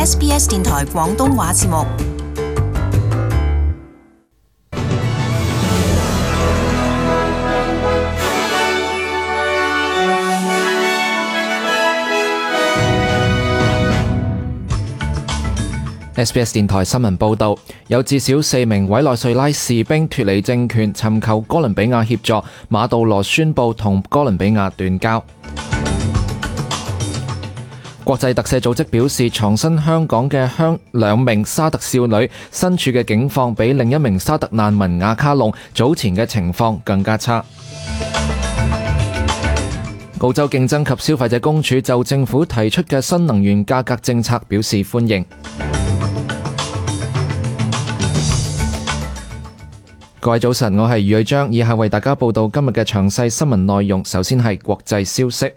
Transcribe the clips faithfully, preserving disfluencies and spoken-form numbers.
S B S 電台廣東話節目。S B S 電台新聞報導，有至少四名委內瑞拉士兵脫離政權，尋求哥倫比亞協助。馬杜羅宣布同哥倫比亞斷交。國際特赦組織表示，藏身香港嘅香兩名沙特少女身處嘅境況比另一名沙特難民亞卡龍早前嘅情況更加差。澳洲競爭及消費者公署就政府提出嘅新能源價格政策表示歡迎。各位早晨，我係余偉章，以下為大家報道今日嘅詳細新聞內容。首先係國際消息，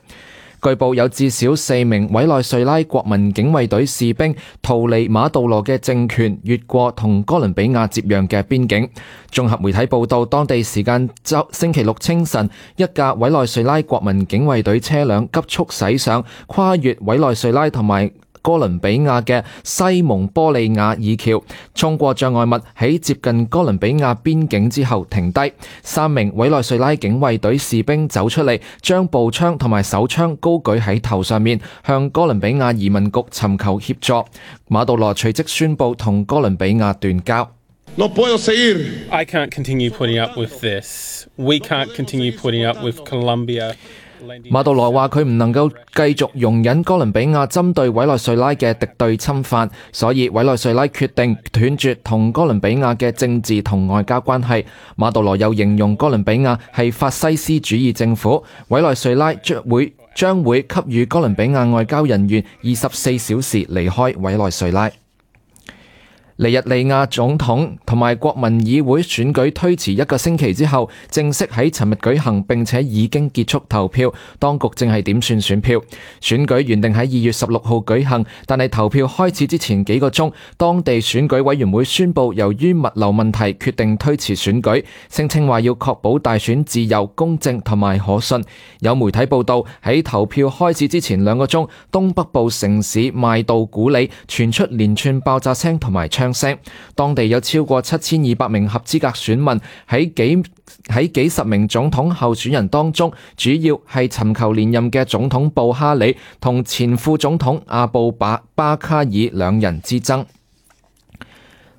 據報有至少四名委內瑞拉國民警衛隊士兵逃離馬杜羅嘅政權，越過同哥倫比亞接壤嘅邊境。綜合媒體報道，當地時間周星期六清晨，一架委內瑞拉國民警衛隊車輛急速駛上，跨越委內瑞拉同埋哥倫比亞嘅西蒙波利亞二橋，衝過障礙物，喺接近哥倫比亞邊境之後停低。三名委內瑞拉警衛隊士兵走出嚟，將步槍同埋手槍高舉喺頭上面，向哥倫比亞移民局尋求協助。馬杜羅隨即宣布同哥倫比亞斷交。No puedo seguir. I can't continue putting up with this. We can't continue putting up with Colombia.馬杜羅話佢唔能夠繼續容忍哥倫比亞針對委內瑞拉嘅敵對侵犯，所以委內瑞拉決定斷絕同哥倫比亞嘅政治同外交關係。馬杜羅又形容哥倫比亞係法西斯主義政府，委內瑞拉將會將會給予哥倫比亞外交人員二十四小時離開委內瑞拉。尼日利亞總統同埋國民議會選舉推遲一個星期之後，正式喺尋日舉行，並且已經結束投票。當局正係點算選票。選舉原定喺二月十六號舉行，但係投票開始之前幾個鐘，當地選舉委員會宣布由於物流問題，決定推遲選舉，聲稱話要確保大選自由、公正同埋可信。有媒體報道，喺投票開始之前兩個鐘，東北部城市邁杜古里傳出連串爆炸聲同埋槍聲，當地有超過七千二百名合資格選民，喺幾喺幾十名總統候選人當中，主要係尋求連任嘅總統布哈里同前副總統阿布巴巴卡爾兩人之爭。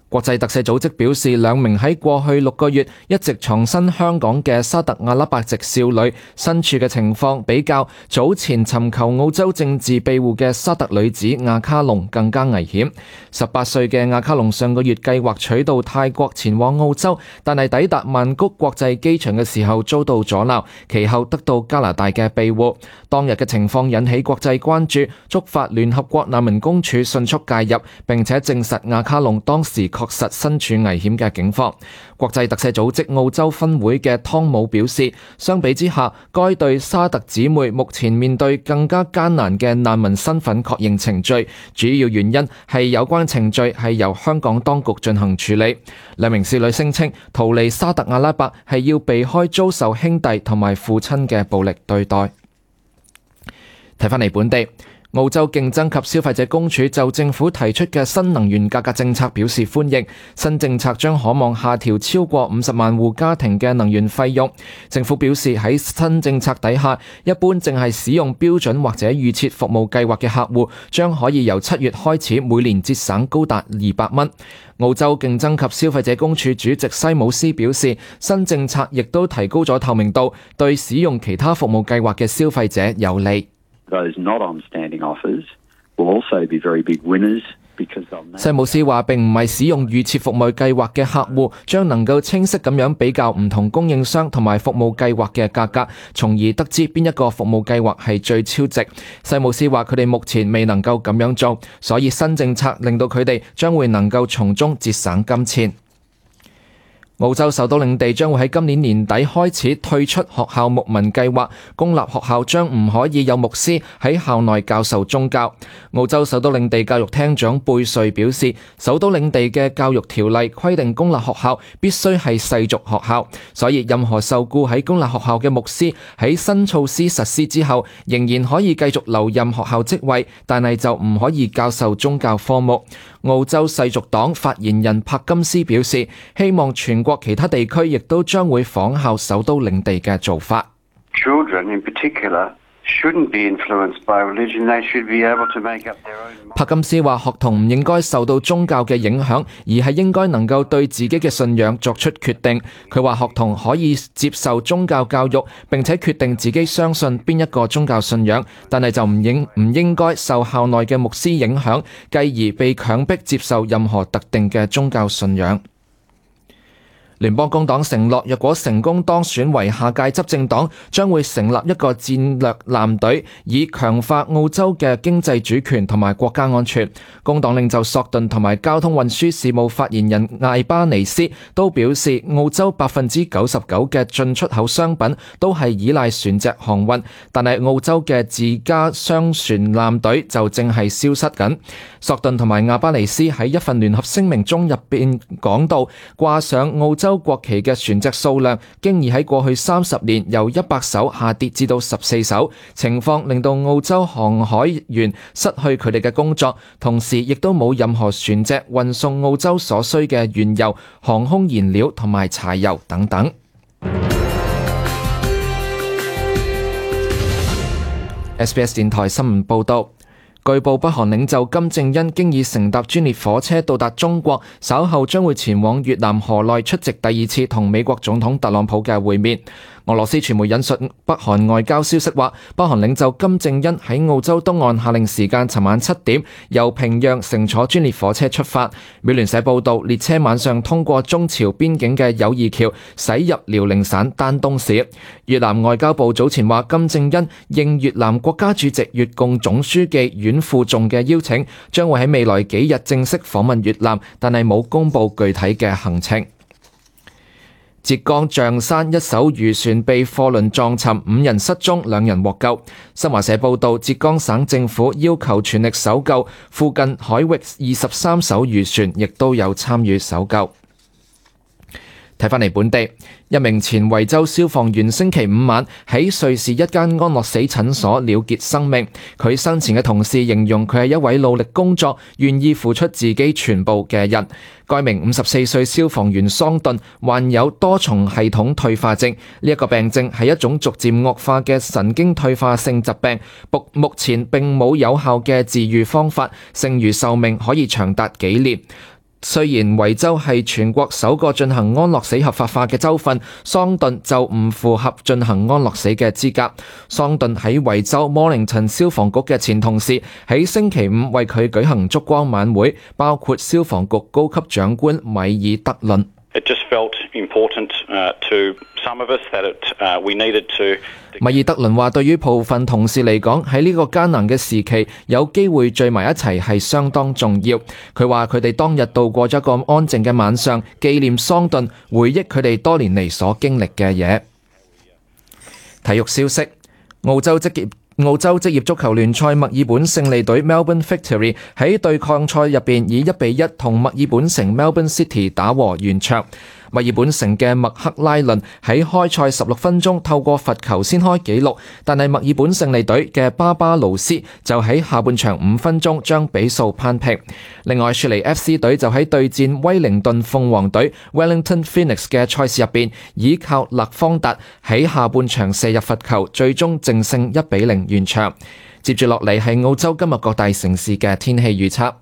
國際特赦組織表示，兩名喺過去六個月一直藏身香港嘅沙特阿拉伯籍少女身處嘅情況，比較早前尋求澳洲政治庇護嘅沙特女子亞卡龍更加危險。十八歲嘅亞卡龍上個月計劃取道泰國前往澳洲，但係抵達曼谷國際機場嘅時候遭到阻撓，其後得到加拿大嘅庇護。當日嘅情況引起國際關注，觸發聯合國難民公署迅速介入，並且證實亞卡龍當時確實身處危險嘅境況。國際特赦組織澳洲分會嘅湯姆表示，相比之下，該對沙特姊妹目前面對更加艱難嘅難民身份確認程序，主要原因係有關程序係由香港當局進行處理。兩名少女聲稱逃離沙特阿拉伯係要避開遭受兄弟同埋父親嘅暴力對待。睇返嚟本地，澳洲競爭及消費者公署就政府提出嘅新能源價格政策表示歡迎。新政策將可望下調超過五十萬戶家庭嘅能源費用。政府表示喺新政策底下，一般淨係使用標準或者預設服務計劃嘅客戶，將可以由七月開始每年節省高達二百蚊。澳洲競爭及消費者公署主席西姆斯表示，新政策亦都提高咗透明度，對使用其他服務計劃嘅消費者有利。Those not on standing offers will also be very big winners. 西姆斯話，並唔係使用預設服務計劃嘅客戶將能夠清晰咁樣比較唔同供應商同埋服務計劃嘅價格，從而得知邊一個服務計劃係最超值。西姆斯話佢哋目前未能夠咁樣做，所以新政策令到佢哋將會能夠從中節省金錢。澳洲首都領地將會喺今年年底開始退出學校牧民計劃，公立學校將唔可以有牧師喺校內教授宗教。澳洲首都領地教育廳長貝瑞表示，首都領地嘅教育條例規定公立學校必須係世俗學校，所以任何受僱喺公立學校嘅牧師喺新措施實施之後，仍然可以繼續留任學校職位，但係就唔可以教授宗教科目。澳洲世俗黨發言人柏金斯表示，希望全國其他地區亦都將會仿效首都領地嘅做法。Children in particular shouldn't be influenced by religion. They should be able to make up their own mind. 柏金斯話，學童唔應該受到宗教嘅影響，而係應該能夠對自己嘅信仰作出決定。佢話學童可以接受宗教教育，並且決定自己相信邊一個宗教信仰，但係就唔應唔應該受校內嘅牧師影響，繼而被強迫接受任何特定嘅宗教信仰。聯邦工黨承諾，若果成功當選為下屆執政黨，將會成立一個戰略艦隊，以強化澳洲嘅經濟主權同埋國家安全。工黨領袖索頓同埋交通運輸事務發言人艾巴尼斯都表示，澳洲百分之九十九嘅進出口商品都係依賴船隻航運，但係澳洲嘅自家商船艦隊就正係消失緊。索頓同埋艾巴尼斯喺一份聯合聲明中入邊講到，掛上澳洲洲國旗嘅船隻數量，經已喺過去三十年由一百艘下跌至到十四艘，情況令到澳洲航海員失去佢哋嘅工作，同時亦都冇任何船隻運送澳洲所需嘅原油、航空燃料同埋柴油等等。S B S 電台新聞報道。據報，北韓領袖金正恩經已乘搭專列火車到達中國，稍後將會前往越南河內出席第二次同美國總統特朗普嘅會面。俄羅斯傳媒引述北韓外交消息話，北韓領袖金正恩喺澳洲東岸夏令時間尋晚七點由平壤乘坐專列火車出發。美聯社報道，列車晚上通過中朝邊境嘅友誼橋駛入遼寧省丹東市。越南外交部早前話，金正恩應越南國家主席越共總書記阮富仲嘅邀請，將會喺未來幾日正式訪問越南，但係冇公布具體嘅行程。浙江象山一艘漁船被貨輪撞沉，五人失蹤，兩人獲救。新華社報道，浙江省政府要求全力搜救，附近海域二十三艘漁船亦都有參與搜救。睇返嚟本地，一名前惠州消防員星期五晚喺瑞士一間安樂死診所了結生命。佢生前嘅同事形容佢係一位努力工作、願意付出自己全部嘅人。該名五十四歲消防員桑頓患有多重系統退化症，呢一個病症係一種逐漸惡化嘅神經退化性疾病，目目前並冇有效嘅治癒方法，剩餘壽命可以長達幾年。雖然維州係全國首個進行安樂死合法化嘅州份，桑頓就唔符合進行安樂死嘅資格。桑頓喺維州摩寧頓消防局嘅前同事喺星期五為佢舉行燭光晚會，包括消防局高級長官米爾德倫。It just felt important, uh, to some of us that it, uh, we needed to. 米爾德倫話：對於部分同事嚟講，喺呢個艱難嘅時期，有機會聚埋一齊係相當重要。佢話佢哋當日度過咗一個安靜嘅晚上，紀念桑頓，回憶佢哋多年嚟所經歷嘅嘢。體育消息：澳洲職業澳洲職業足球聯賽墨爾本勝利隊 Melbourne Victory 喺對抗賽入邊以一比一同墨爾本城 Melbourne City 打和完場。墨爾本城嘅麥克拉倫喺開賽十六分鐘透過罰球先開紀錄，但係墨爾本勝利隊嘅巴巴勞斯就喺下半場五分鐘將比數扳平。另外，雪梨 F C 隊就喺對戰威靈頓鳳凰隊 Wellington Phoenix 嘅賽事入邊，依靠勒方達喺下半場射入罰球，最終淨勝一比零完場。接住落嚟係澳洲今日各大城市嘅天氣預測。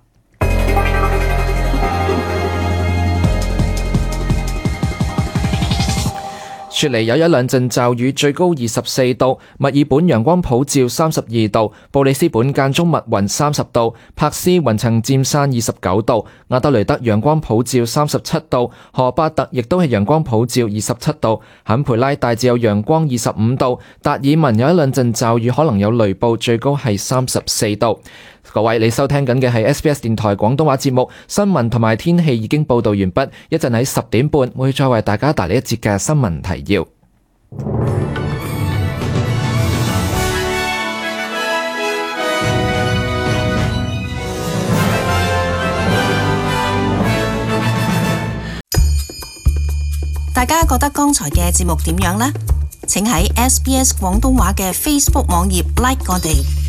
雪梨有一兩陣驟雨，最高二十四度；墨爾本陽光普照三十二度；布里斯本間中密雲三十度；珀斯雲層漸散二十九度；亞德雷德陽光普照三十七度；荷巴特亦都係陽光普照二十七度；坎培拉大致有陽光二十五度；達爾文有一兩陣驟雨，可能有雷暴，最高係三十四度。各位，你收聽緊嘅係 S B S 電台廣東話節目，新聞同埋天氣已經報道完畢，一陣喺十點半會再為大家帶嚟一節嘅新聞提要。大家覺得剛才嘅節目點樣呢？請喺 S B S 廣東話嘅 Facebook 網頁 like 我哋。